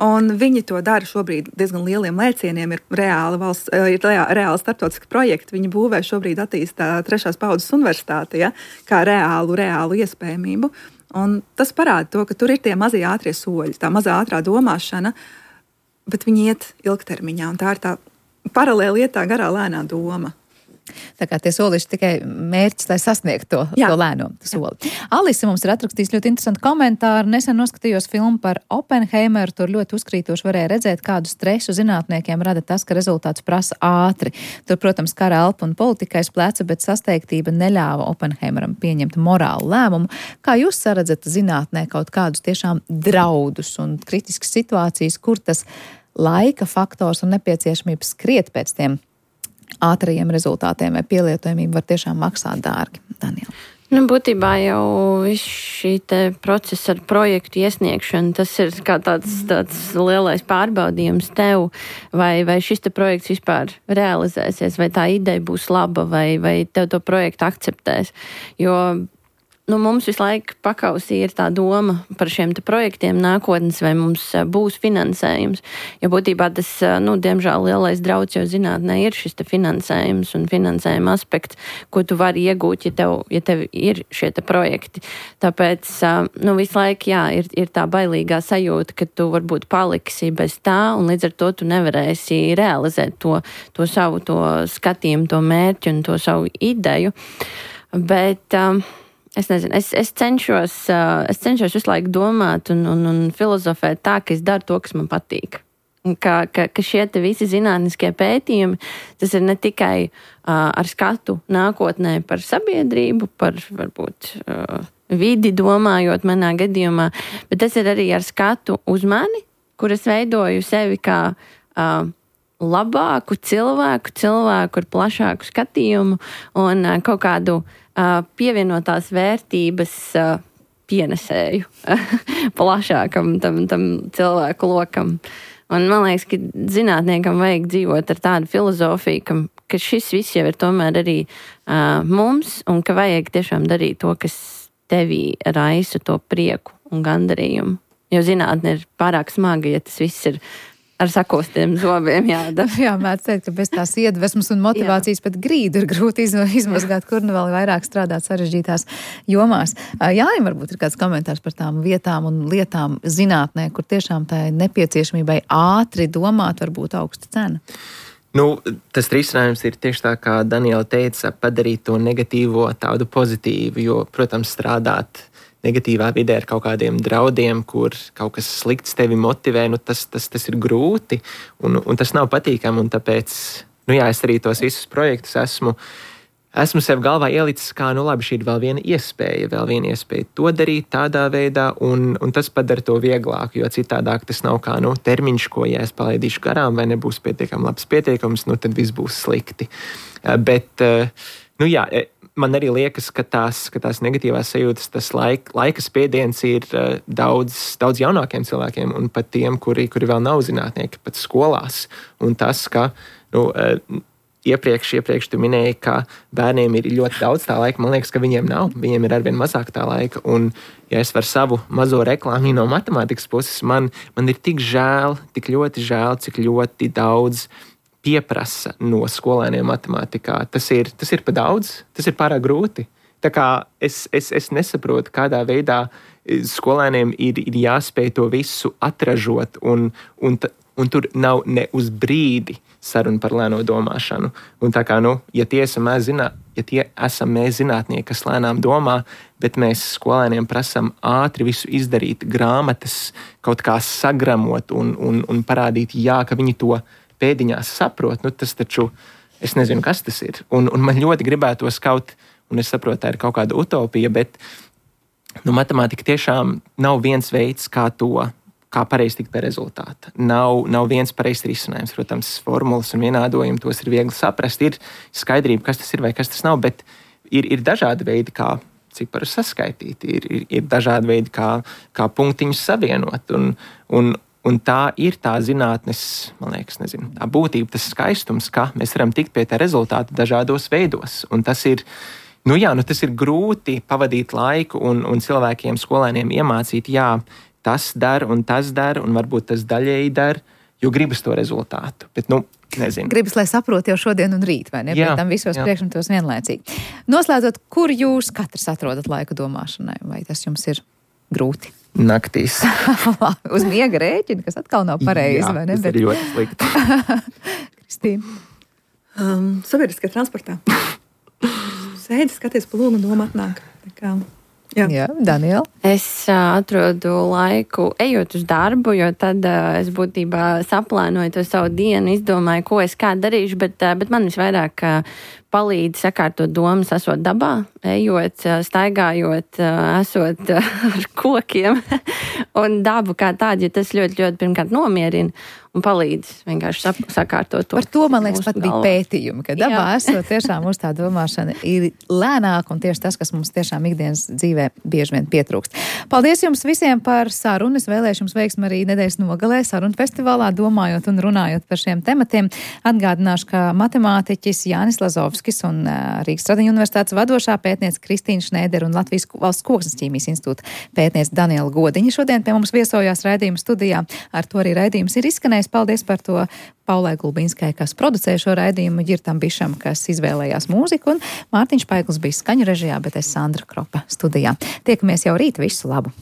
Un viņi to dara šobrīd diezgan lieliem lēcieniem, ir reāli starptautiski projekti. Viņi būvē šobrīd attīstā 3. paudzes universitāti, kā reālu iespējamību. Un tas parāda to, ka tur ir tie mazie ātrie soļi, tā mazā ātrā domāšana, bet viņi iet ilgtermiņā. Un tā ir tā paralēli iet tā garā lēnā doma. Tā kā tie solīši tikai mērķis, lai sasniegtu to lēno soli. Alise mums ir atrakstījis ļoti interesantu komentāru. Nesen noskatījos filmu par Oppenheimeru. Tur ļoti uzkrītoši varēja redzēt, kādu stresu zinātniekiem rada tas, ka rezultāts prasa ātri. Tur, protams, kara elpa un politikais pleca, bet sasteigtība neļāva Oppenheimeram pieņemt morālu lēmumu. Kā jūs saredzat zinātnē kaut kādus tiešām draudus un kritiskas situācijas, kur tas laika faktors un nepieciešamība skriet pēc tiem ātrajiem rezultātiem vai pielietojumību var tiešām maksāt dārgi? Daniela. Būtībā jau viss šī procesa ar projektu iesniegšanu, tas ir kā tāds lielais pārbaudījums tev, vai šis projekts vispār realizēsies, vai tā ideja būs laba, vai tev to projektu akceptēs. Jo mums visu laiku pakausī ir tā doma par šiem projektiem nākotnes, vai mums būs finansējums. Jo būtībā tas, diemžēl lielais drauds jau zinātnē ir šis te finansējums un finansējuma aspekts, ko tu vari iegūt, ja tev ir šie te projekti. Tāpēc, visu laiku, ir tā bailīgā sajūta, ka tu varbūt paliksi bez tā, un līdz ar to tu nevarēsi realizēt to savu to skatījumu, to mērķi un to savu ideju. Bet es nezinu, es cenšos visu laiku domāt un filozofēt tā, ka es daru to, kas man patīk. Ka šie te visi zinātniskie pētījumi, tas ir ne tikai ar skatu nākotnē par sabiedrību, par varbūt vidi domājot manā gadījumā, bet tas ir arī ar skatu uz mani, kur es veidoju sevi kā labāku cilvēku ar plašāku skatījumu un kaut kādu pievienotās vērtības pienesēju plašākam tam cilvēku lokam. Un man liekas, ka zinātniekam vajag dzīvot ar tādu filozofiju, ka šis viss jau ir tomēr arī mums, un ka vajag tiešām darīt to, kas tevī raisa to prieku un gandarījumu. Jo zinātne ir pārāk smaga, ja tas viss ir ar sakostiem zobiem jādara. Jā, mēdz teikt, ka bez tās iedvesmas un motivācijas pat grīdu ir grūti izmazgāt, kur vēl vairāk strādāt sarežģītās jomās. Jāim varbūt ir kāds komentārs par tām vietām un lietām zinātnē, kur tiešām tā nepieciešamībai ātri domāt var būt augsta cena. Tas risinājums ir tieši tā, kā Daniela teica, padarīt to negatīvo tādu pozitīvu, jo, protams, strādāt negatīvā vidē ar kaut kādiem draudiem, kur kaut kas slikts tevi motivē, tas ir grūti un tas nav patīkami, un tāpēc, es arī tos visus projektus esmu sev galvā ielicis kā, labi, šī ir vēl viena iespēja to darīt tādā veidā, un tas padara to vieglāk, jo citādāk tas nav kā, termiņš, ko, ja es palaidīšu garām vai nebūs pietiekami labs pieteikums, tad viss būs slikti. Bet, man arī liekas, ka tās negatīvās sajūtas, tas laika spiediens ir daudz jaunākiem cilvēkiem un pat tiem, kuri vēl nav zinātnieki, pat skolās. Un tas, ka iepriekš tu minēji, ka bērniem ir ļoti daudz tā laika, man liekas, ka viņiem nav. Viņiem ir arvien mazāk tā laika. Un, ja es varu savu mazo reklāmu no matemātikas puses, man ir tik ļoti žēl, cik ļoti daudz pieprasa no skolēniem matemātikā. Tas ir pa daudz, tas ir pārāk grūti. Tā kā es nesaprotu, kādā veidā skolēniem ir jāspēj to visu atražot, un tur nav ne uz brīdi saruna par lēno domāšanu. Un tā kā, ja tie esam mēs zinātnieki, kas lēnām domā, bet mēs skolēniem prasam ātri visu izdarīt, grāmatas kaut kā sagramot un parādīt, ka viņi to pēdiņās saprot, tas taču, es nezinu, kas tas ir. Un man ļoti gribētos un es saprotu, tā ir kaut kāda utopija, bet matemātika tiešām nav viens veids, kā pareizi tikt pie rezultāta. Nav viens pareizs risinājums. Protams, formulas un vienādojumi, tos ir viegli saprast, ir skaidrība, kas tas ir vai kas tas nav, bet ir dažādi veidi, kā ciparus saskaitīt, ir dažādi veidi, kā punktiņus savienot, un tā ir tā zinātnes, man liekas, tā būtība, tas skaistums, ka mēs varam tikt pie tā rezultāta dažādos veidos. Un tas ir, tas ir grūti pavadīt laiku un cilvēkiem, skolēniem iemācīt, tas dara, un varbūt tas daļēji dara, jo gribas to rezultātu. Bet, nezinu. Gribas, lai saprot jau šodien un rīt, vai ne? Pēc tam visos priekšmetos vienlaicīgi. Noslēdzot, kur jūs katrs atrodat laiku domāšanai? Vai tas jums ir grūti? Naktīs. Uz miega rēķina, kas atkal nav pareizi, vai ne? Tas ir ļoti slikti. Kristīna? Sabiedriskajā transportā. Sēdi, skaties pa lomu, doma atnāk. Jā, Daniela? Es atrodu laiku ejot uz darbu, jo tad es būtībā saplānoju to savu dienu, izdomāju, ko es kā darīšu, bet man visvairāk palīdz sakārtot domas, esot dabā, ejot, staigājot, esot ar kokiem un dabu kā tādu, jo tas ļoti, ļoti pirmkārt nomierina un palīdz vienkārši sakārtot to. Par to, man liekas, pat bija pētījumi, ka dabā esot tiešām uz tā domāšana ir lēnāk un tieši tas, kas mums tiešām ikdienas dzīvē bieži vien pietrūkst. Paldies jums visiem par sarunu. Es vēlēšu jums veiksmi arī nedēļas nogalē sarunu festivālā, domājot un runājot par šiem tematiem. Atgādināšu, ka matemātiķis Jānis Lazovskis Dombrovskis un Rīgas Stradiņu universitātes vadošā pētniece Kristīna Šnēdera un Latvijas Valsts koksnes ķīmijas institūta pētniece Daniela Godiņa šodien pie mums viesojās raidījuma studijā. Ar to arī raidījums ir izskanējis. Paldies par to Paulai Gulbinskai, kas producēja šo raidījumu, Ģirtam Bišam, kas izvēlējās mūziku, un Mārtiņš Paigls bija skaņu režijā, bet es Sandra Kropa studijā. Tiekamies jau rīt, visu labu!